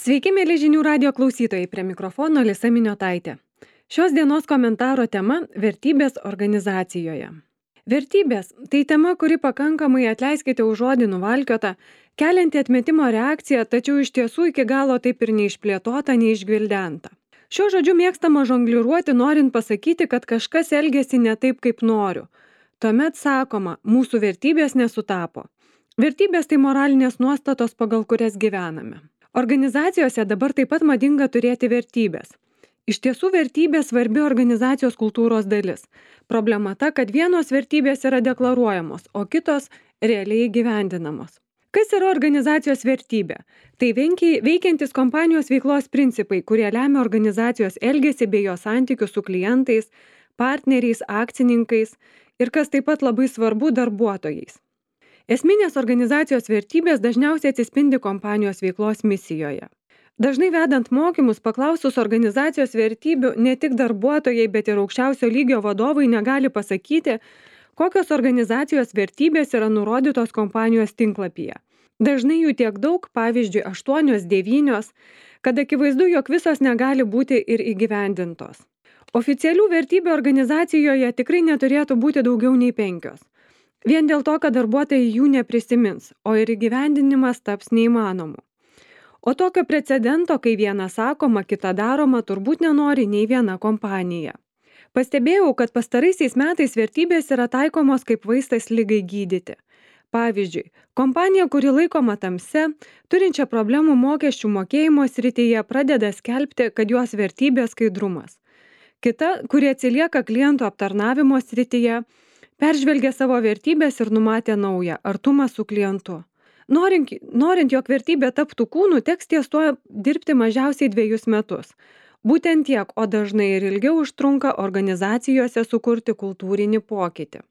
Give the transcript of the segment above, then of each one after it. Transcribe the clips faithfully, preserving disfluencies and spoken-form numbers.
Sveiki, mėly žinių radio klausytojai, prie mikrofono Alisa Miniotaitė. Šios dienos komentaro tema – vertybės organizacijoje. Vertybės – tai tema, kuri pakankamai, atleiskite už žodį, nuvalkiota, kelianti atmetimo reakciją, tačiau iš tiesų iki galo taip ir neišplėtota, neišgvildenta. Šiuo žodžiu mėgstama žongliruoti, norint pasakyti, kad kažkas elgiasi ne taip, kaip noriu. Tuomet sakoma, mūsų vertybės nesutapo. Vertybės tai moralinės nuostatos, pagal kurias gyvename. Organizacijose dabar taip pat madinga turėti vertybės. Iš tiesų vertybės svarbi organizacijos kultūros dalis. Problema ta, kad vienos vertybės yra deklaruojamos, o kitos realiai įgyvendinamos. Kas yra organizacijos vertybė? Tai veikiantis kompanijos veiklos principai, kurie lemia organizacijos elgesį bei jo santykius su klientais, partneriais, akcininkais ir, kas taip pat labai svarbu, darbuotojais. Esminės organizacijos vertybės dažniausiai atsispindi kompanijos veiklos misijoje. Dažnai vedant mokymus, paklausus organizacijos vertybių, ne tik darbuotojai, bet ir aukščiausio lygio vadovai negali pasakyti, kokios organizacijos vertybės yra nurodytos kompanijos tinklapyje. Dažnai jų tiek daug, pavyzdžiui, aštuonios, devynios, kad akivaizdu, jog visos negali būti ir įgyvendintos. Oficialių vertybių organizacijoje tikrai neturėtų būti daugiau nei penkios. Vien dėl to, kad darbuotojai jų neprisimins, o ir įgyvendinimas taps neįmanomu. O tokio precedento, kai viena sakoma, kita daroma, turbūt nenori nei viena kompanija. Pastebėjau, kad pastaraisiais metais vertybės yra taikomos kaip vaistas ligai gydyti. Pavyzdžiui, kompanija, kuri laikoma tamse, turinčia problemų mokesčių mokėjimo srityje, pradeda skelbti, kad jos vertybė skaidrumas. Kita, kuri atsilieka klientų aptarnavimo srityje, peržvelgė savo vertybės ir numatė naują – artumą su klientu. Norint, norint jog vertybė taptų kūnu, teks ties tuo dirbti mažiausiai dviejus metus. Būtent tiek, o dažnai ir ilgiau užtrunka organizacijose sukurti kultūrinį pokytį.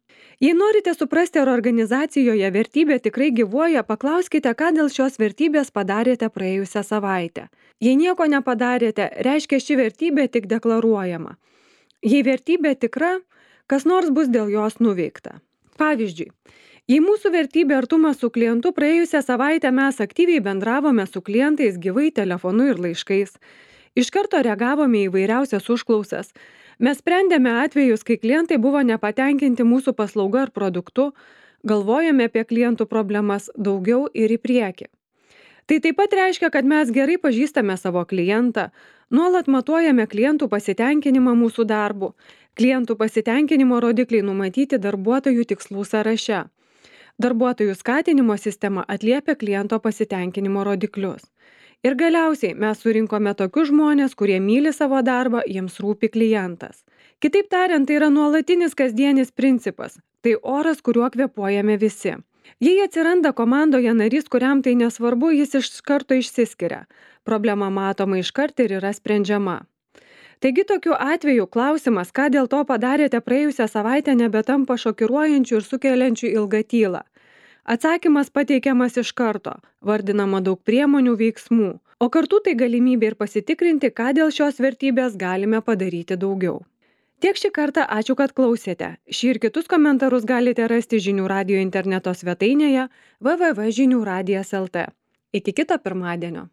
Jei norite suprasti, ar organizacijoje vertybė tikrai gyvuoja, paklauskite, ką dėl šios vertybės padarėte praėjusią savaitę. Jei nieko nepadarėte, reiškia ši vertybė tik deklaruojama. Jei vertybė tikra, kas nors bus dėl jos nuveikta. Pavyzdžiui, jei mūsų vertybė artumas su klientu, praėjusią savaitę mes aktyviai bendravome su klientais gyvai telefonu ir laiškais, iš karto reagavome į įvairiausias užklausas, mes sprendėme atvejus, kai klientai buvo nepatenkinti mūsų paslauga ar produktu, galvojame apie klientų problemas daugiau ir į priekį. Tai taip pat reiškia, kad mes gerai pažįstame savo klientą, nuolat matuojame klientų pasitenkinimą mūsų darbu, klientų pasitenkinimo rodikliai numatyti darbuotojų tikslų sąraše. Darbuotojų skatinimo sistema atliepia kliento pasitenkinimo rodiklius. Ir galiausiai mes surinkome tokius žmonės, kurie myli savo darbą, jiems rūpi klientas. Kitaip tariant, tai yra nuolatinis kasdienis principas, tai oras, kuriuo kvėpuojame visi. Jei atsiranda komandoje narys, kuriam tai nesvarbu, jis iš karto išsiskiria. Problema matoma iškart ir yra sprendžiama. Taigi tokiu atveju klausimas, ką dėl to padarėte praėjusią savaitę, nebetampa šokiruojančių ir sukeliančių ilgą tylą. Atsakymas pateikiamas iš karto, vardinama daug priemonių veiksmų, o kartu tai galimybė ir pasitikrinti, ką dėl šios vertybės galime padaryti daugiau. Tiek šį kartą ačiū, kad klausėte. Šį ir kitus komentarus galite rasti Žinių radijo interneto svetainėje w w w taškas žinių radijas taškas l t. Iki kito pirmadienio.